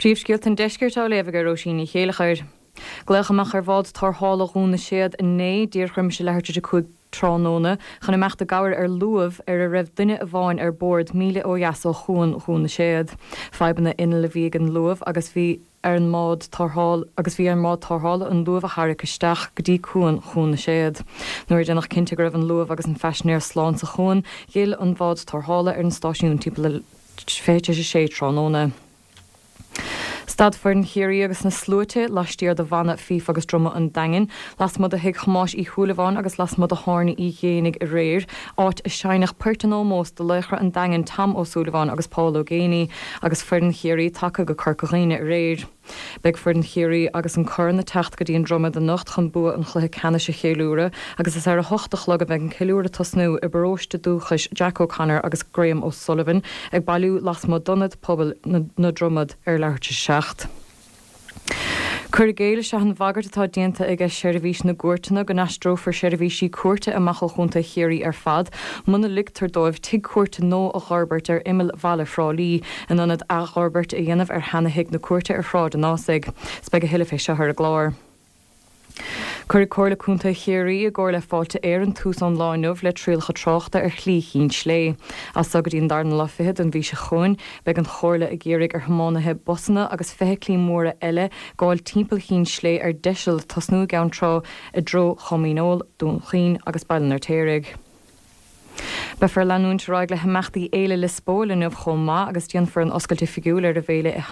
Príomhscéalta an Deiscirt á léamh ag Róisín Ní Chéileachair. Glaodh amach ar bhád tarrthála Dhún na Séad inné, díreach roimis a leathuair tar éis a 5 tráthnóna, chun imeacht i gcabhair ar luamh ar a raibh duine amháin ar bord, míle ó dheas ó chuan Dhún na Séad. Fadhbanna innill a bhí ag an luamh agus bhí ar an mbád tarrthála agus bhí ar an mbád tarrthála an luamh a tharrac isteach go dtí cuan Dhún na Séad. Nuair a déanadh cinnte go raibh an luamh agus an phaisinéir slán sa chuan, d'fhill an bhád tarrthála ar an stáisiún timpeall a 5:40 tráthnóna. Stad foireann Chiarraí agus na sluaite laistiar de bhanna fífe agus druma an Daingin, lasmuigh de thigh Thomáis Uí Shúilleabháin agus lasmuigh de thábhairne Uí Ghéibheannaigh aréir, áit a seinneadh poirt in ómós do laochra an Daingin Tom Ó Súilleabháin agus Paul Ó Géibheannaigh agus foireann Chiarraí tagtha go Corca Dhuibhne aréir. Beidh foireann Chiarraí agus an corn ag teacht go dtí an Dromaid anocht chun bua an chluiche ceannais a cheiliúradh agus is ar a hocht a chlog a bheidh an ceiliúradh ag tosnú i bparóiste dúchais Jack O'Connor agus Graham O'Sullivan ag bailiú lasmuigh d'Ionad Pobail na Dromad ar leathuair tar éis a 7. Cur i gcéill is ea an bhagairt atá déanta aige Seirbhís na gCúirteanna go n-aistreofar seirbhísí cúirte amach ó Chontae Chiarraí ar fad muna ligtear dóibh tigh cúirte nua a dh'fhorbairt ar imeall bhaile Thrá Lí in ionad athfhorbairt a dhéanamh ar sheana-thigh na cúirte ar Shráid an Ásaigh. 'S beidh a thuilleadh fé seo ar an gclár. Cuirfidh Comhairle Contae Chiarraí i gcomhar le Fáilte Éireann tús ón lá inniu le trialacha tráchta ar Shlí Chinn Slé. As so go dtí an darna lá fichead den mhí seo chugainn, beidh an Chomhairle ag iarraidh ar thiománaithe busanna agus feithiclí móra eile gabháil timpeall Chinn Slé ar deiseal, tosnú i gCeann Trá i dtreo Chom Dhíneol, Dún Chaoin agus Baile an Fheirtéaraigh. Beifear ag leanúint ar aghaidh le himeachtaí Fhéile Liospóil inniu chomh maith agus déanfar an oscailt oifigiúil ar an bhféile i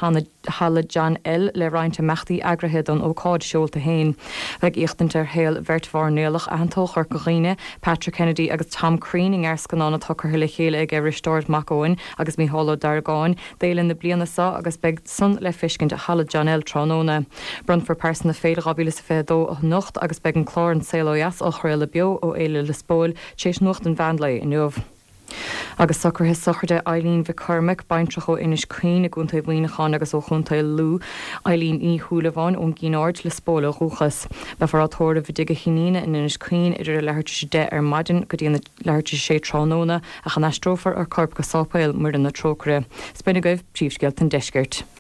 Halla John L le roinnt imeachtaí eagraithe don ócáid seolta féin. Beidh éachtaint ar shaol bheirt mhairnéalach aitheanta ó Chorca Dhuibhne, Patrick Kennedy agus Tom Crean i ngearrscannán atá curtha le chéile aige Risteárd Mac Eoin agus Mícheál Ó Deargáin d'fhéile na bliana seo agus beidh san le feiscint i Halla John L tráthnóna. Bronnfar Pearsa na Féile 2022 anocht agus beidh an clár An Saol Ó Dheas á chraoladh beo ó Fhéile Liospóil tar éis nuacht an mheán lae inniu. Agus socruithe sochraide Eileen Mhic Cormaic, baintreach ó Inis Caoin i gContae Mhuineacháin agus ó Chontae Lú, Eileen Ní Shúilleabháin ón gCinn Aird, Lios Póil ó dhúchas. Beifear á tórramh i dtigh a hiníne in Inis Caoin idir a leathuair tar éis 10 ar maidin go dtí an leathuair tar éis 6 tráthnóna ach an aistreofar a corp go Sáipéal Muire na Trócaire. 'S b'in agaibh príomhscéalta an deiscirt.